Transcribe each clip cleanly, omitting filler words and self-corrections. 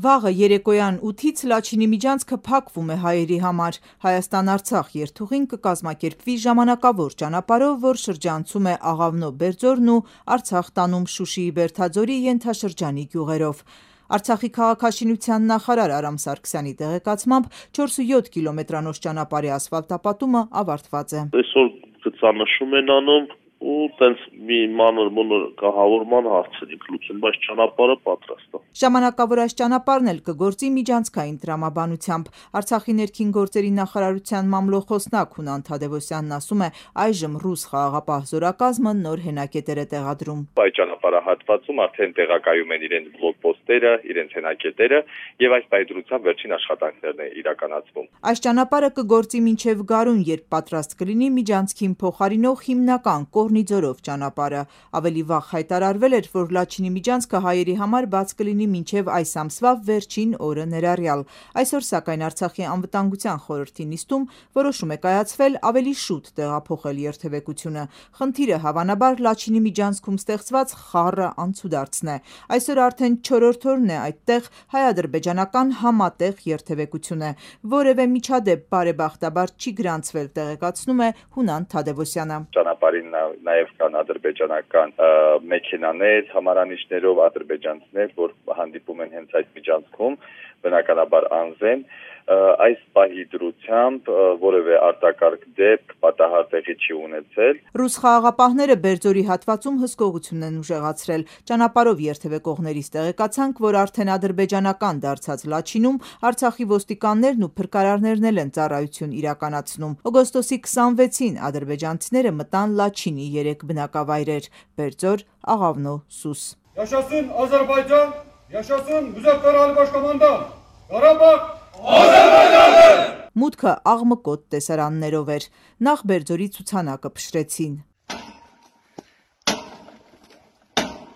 Վաղը երեկոյան 8-ից Լաչինի միջանցքը փակվում է հայերի համար։ Հայաստան-Արցախ երթուղին կկազմակերպվի ժամանակավոր ճանապարհով, որ շրջանցում է Աղավնո Բերձորն ու Արցախ տանում Շուշիի Բերդաձորի ենթաշրջանի գյուղերով։ Արցախի քաղաքաշինության նախարար Արամ Սարգսյանի տեղեկացմամբ 4-7 կիլոմետրանոց ճանապարհի ասֆալտապատումը ավարտված է։ Այսօր գծանշում են անում ու տենց մի մանր-մունր կահավորման հարցերին լուծում, բայց ճանապարհը պատրաստ է։ Ժամանակավոր այս ճանապարհն էլ կգործի միջանցքային տրամաբանությամբ։ Արցախի ներքին գործերի նախարարության մամլոխոսնակ Հունան Թադևոսյանն ասում է, այժմ ռուս խաղաղապահ զորակազմը նոր հենակետեր է տեղադրում։ Այդ ճանապարհահատվածում արդեն տեղակայում են իրենց բլոկպոստերը, իրենց հենակետերը եւ այս պայծրությամբ վերջին աշխատանքներն է իրականացվում։ Այս ճանապարհը կգործի մինչև գարուն, երբ պատրաստ կլինի միջանցքին փոխարինող հիմնական Կորնիձորով ճանապարհը։ Ավելի վաղ հայտարարվել էր, որ Լաչինի միջանցքը հայերի համար բաց կլինի մինչև այս ամսվա վերջին օրը ներառյալ։ Այսօր սակայն Արցախի անվտանգության խորհրդի նիստում որոշում է կայացվել ավելի շուտ տեղափոխել երթևեկությունը։ Խնդիրը հավանաբար Լաչինի միջանցքում ստեղծված խառը անցուդարձն է։ Այսօր արդեն 4-րդ օրն է այդտեղ հայ-ադրբեջանական համատեղ երթևեկություն է։ Որևէ միջադեպ բարեբախտաբար չի գրանցվել, տեղեկացնում է Հունան Թադևոսյանը։ Ճանապարհին նաև կան ադրբեջանական մեքենաներ, համարանիշներով ադրբեջանցիներ, որ հանդիպում են հենց այդ միջանցքում, բնականաբար անզեն։ Այս պահի դրությամբ որևէ արտակարգ դեպք պատահար տեղի չի ունեցել։ Ռուս խաղաղապահները Բերձորի հատվածում հսկողություն են ուժեղացրել։ Ճանապարհով երթևեկողներից տեղեկացանք, որ արդեն ադրբեջանական դարձած Լաչինում Արցախի ոստիկաններն ու փրկարարներն էլ են ծառայություն իրականացնում։ Օգոստոսի 26-ին ադրբեջանցիները մտան Լաչինի 3 բնակավայրեր՝ Բերձոր, Աղավնո, Սուս։ Yaşasın Azerbaycan, yaşasın Müzəffər Ali Başkomandan, Qarabağ Մուտքը աղմկոտ տեսարաններով էր։ Նախ Բերձորի ցուցանակը փշրեցին։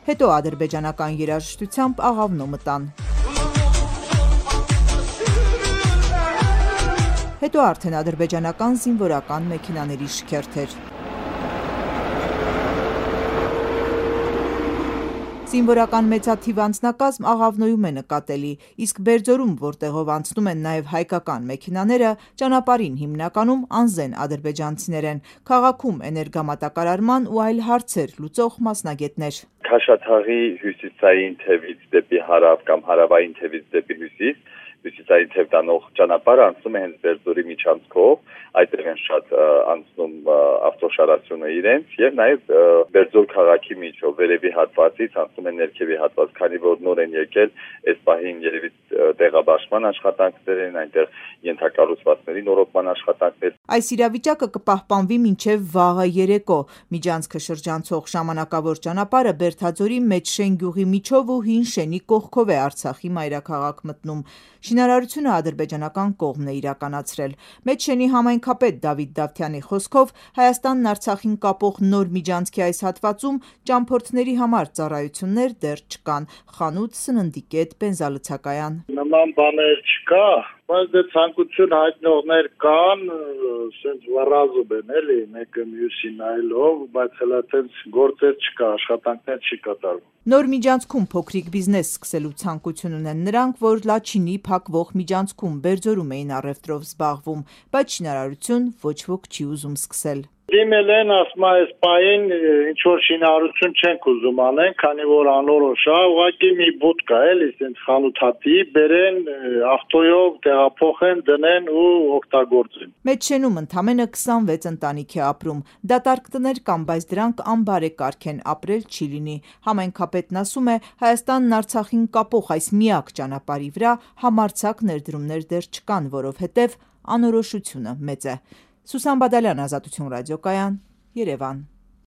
Հետո ադրբեջանական երաժշտությամբ Աղավնո մտան։ Հետո արդեն ադրբեջանական զինվորական մեքենաների շքերթեր։ Զինվորական մեծաթիվ անձնակազմ Աղավնոյում է նկատելի, իսկ Բերձորում, որտեղով անցնում են նաև հայկական մեքենաները, ճանապարհին հիմնականում անզեն ադրբեջանցիներ են, քաղաքում էներգամատակարարման ու այլ հարցեր լուծող մասնագետներ։ Քաշաթաղի հյուսիսային թևից դեպի հարավ կամ հարավային թևից դեպի հյուսիսային թև տանող ճանապարհը անցնում է հենց Բերձորի միջանցքով, այդտեղ են շատ անցնում ավտոշարացյունը իրենց եւ նաեւ Բերձոր քաղաքի միջով վերևի հատվածից անցնում են ներքևի հատված, քանի որ նոր են եկել, այս պահին երևի տեղաբաշխման աշխատանքներ են, այնտեղ ենթակառուցվածքների նորոգման աշխատանքներ։ Այս իրավիճակը կպահպանվի մինչև վաղը երեկո։ Միջանցքը շրջանցող ժամանակավոր ճանապարհը Բերդաձորի Մեջշեն գյուղի միջով ու Հին Շենի կողքով է Արցախի մայրաքաղաք մտնում։ Շինարարությունը ադրբեջանական կողմն է իրականացրել։ Մեջշենի համայնքապետ Դավիթ Դավթյանի խոսքով Հայաստանն Արցախին կապող նոր միջանցքի այս հատվածում ճամփորդների համար ծառայություններ դեռ չկան՝ խանութ, սննդի կետ, բենզալցակայան։ Նման բաներ չկա, բայց դե ցանկություն հայտնողներ կան, ասենց վառազոբ են էլի, մեկը մյուսին այլով, բայց հələ այդպես գործեր չկա, աշխատանքներ չի կատարվում։ Նոր միջանցքում փոքրիկ բիզնես սկսելու ցանկություն ունեն նրանք, որ Լաչինի փակվող միջանցքում Բերձորում էին առևտրով զբաղվում, բայց շինարարություն ոչ ոք չի ուզում սկսել։ Դիմել են, ասում այս պահին ինչ որ շինարարություն չենք ուզում անեն, քանի որ անորոշ է, ուղղակի մի բուտ կա, էլի, ասենց խանութատի, բերեն, ավտոյով տեղափոխեն, դնեն ու օգտագործեն։ Մեջշենում ընդամենը 26 ընտանիք է ապրում։ Դատարկ տներ կան, բայց դրանք անբարեկարգ են, ապրել չի լինի։ Համայնքապետն ասում է, Հայաստանն Արցախին կապող այս միակ ճանապարհի վրա համարձակ ներդրումներ դեռ չկան, որովհետև անորոշությունը մեծ է։ Սուսան Բադալյան, Ազատություն ռադիոկայան, Երևան։